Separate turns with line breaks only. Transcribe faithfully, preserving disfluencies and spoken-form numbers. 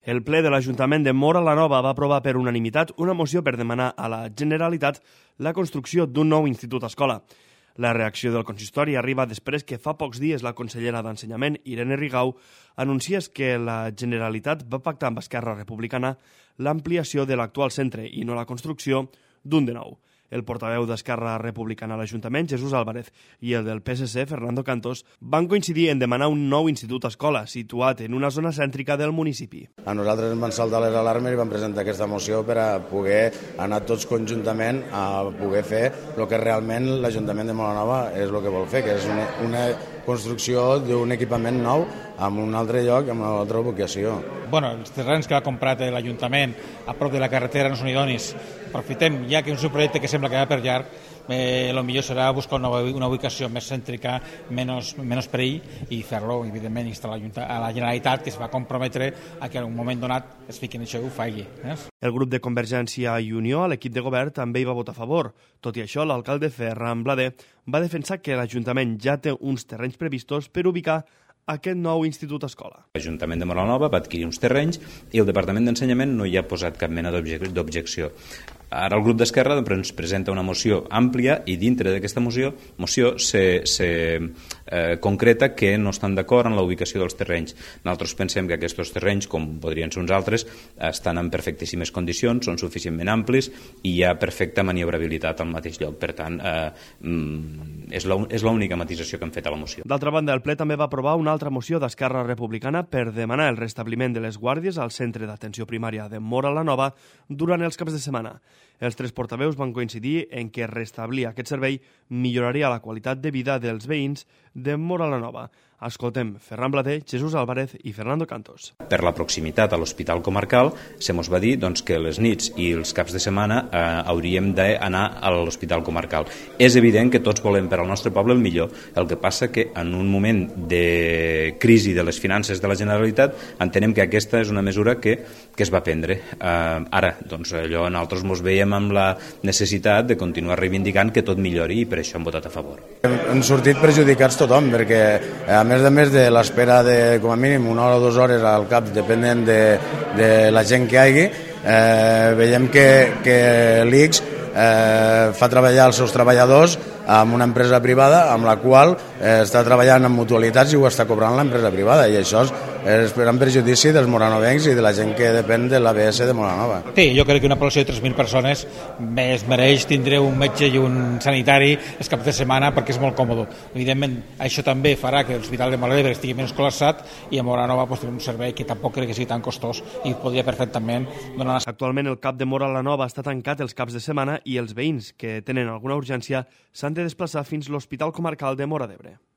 El ple de l'Ajuntament de Móra la Nova va aprovar per unanimitat una moció per demanar a la Generalitat la construcció d'un nou institut escola. La reacció del consistori arriba després que fa pocs dies la consellera d'Ensenyament, Irene Rigau, anunciés que la Generalitat va pactar amb Esquerra Republicana l'ampliació de l'actual centre i no la construcció d'un de nou. El portaveu d'Esquerra Republicana a l'Ajuntament, Jesús Álvarez, i el del P S C, Fernando Cantos, van coincidir en demanar un nou institut escola situat en una zona cèntrica del municipi.
A nosaltres ens van saltar les alarmes i vam presentar aquesta moció per a poder anar tots conjuntament a poder fer el que realment l'Ajuntament de Móra la Nova és el que vol fer, que és una, una construcció d'un equipament nou en un altre lloc, en una altra ubicació.
Bueno, els terrenys que ha comprat l'Ajuntament a prop de la carretera no són idonis. Aprofitem, ja que és un projecte que sembla que va per llarg, eh, el millor serà buscar una, una ubicació més cèntrica, menys, menys perill, i fer-lo, evidentment, instal·lar a la Generalitat, que es va comprometre a que en un moment donat es fiqui en això i ho faci. Eh?
El grup de Convergència i Unió, a l'equip de govern, també hi va votar a favor. Tot i això, l'alcalde Ferran Blader va defensar que l'Ajuntament ja té uns terrenys previstos per ubicar aquest nou institut escola.
L'Ajuntament de Móra la Nova va adquirir uns terrenys i el Departament d'Ensenyament no hi ha posat cap mena d'objecció. Ara el grup d'Esquerra ens presenta una moció àmplia i dintre d'aquesta moció, moció se, se eh, concreta que no estan d'acord en la ubicació dels terrenys. Nosaltres pensem que aquests terrenys, com podrien ser uns altres, estan en perfectíssimes condicions, són suficientment amplis i hi ha perfecta maniobrabilitat al mateix lloc. Per tant, eh, és l'única matisació que hem fet a la moció.
D'altra banda, el ple també va aprovar una altra moció d'Esquerra Republicana per demanar el restabliment de les guàrdies al centre d'atenció primària de Móra la Nova durant els caps de setmana. Els tres portaveus van coincidir en que restablir aquest servei milloraria la qualitat de vida dels veïns de Móra la Nova. Escoltem Ferran Blader, Jesús Álvarez i Fernando Cantos.
Per la proximitat a l'Hospital Comarcal se mos va dir doncs, que les nits i els caps de setmana eh, hauríem d'anar a l'Hospital Comarcal. És evident que tots volem per al nostre poble el millor. El que passa que en un moment de crisi de les finances de la Generalitat entenem que aquesta és una mesura que, que es va prendre. Eh, ara, doncs, allò nosaltres mos veiem amb la necessitat de continuar reivindicant que tot millori i per això hem votat a favor.
Hem, hem sortit perjudicats tothom perquè a més a més de l'espera de com a mínim una hora o dues hores al cap depenent de, de la gent que hi hagi, eh, veiem que, que l'I X eh, fa treballar els seus treballadors amb una empresa privada amb la qual eh, està treballant en mutualitats i ho està cobrant l'empresa privada, i això és, és per en perjudici dels moranovencs i de la gent que depèn de l'A B S de Móra la Nova.
Sí, jo crec que una població de tres mil persones es mereix tindre un metge i un sanitari els caps de setmana perquè és molt còmode. Evidentment, això també farà que l'Hospital de Móra l'Ebre estigui menys col·lapsat i a Móra la Nova pues, un servei que tampoc crec que sigui tan costós i podria perfectament donar...
Actualment el CAP de Móra la Nova està tancat els caps de setmana i els veïns que tenen alguna urgència s'han de desplaçar fins a l'Hospital Comarcal de Móra d'Ebre.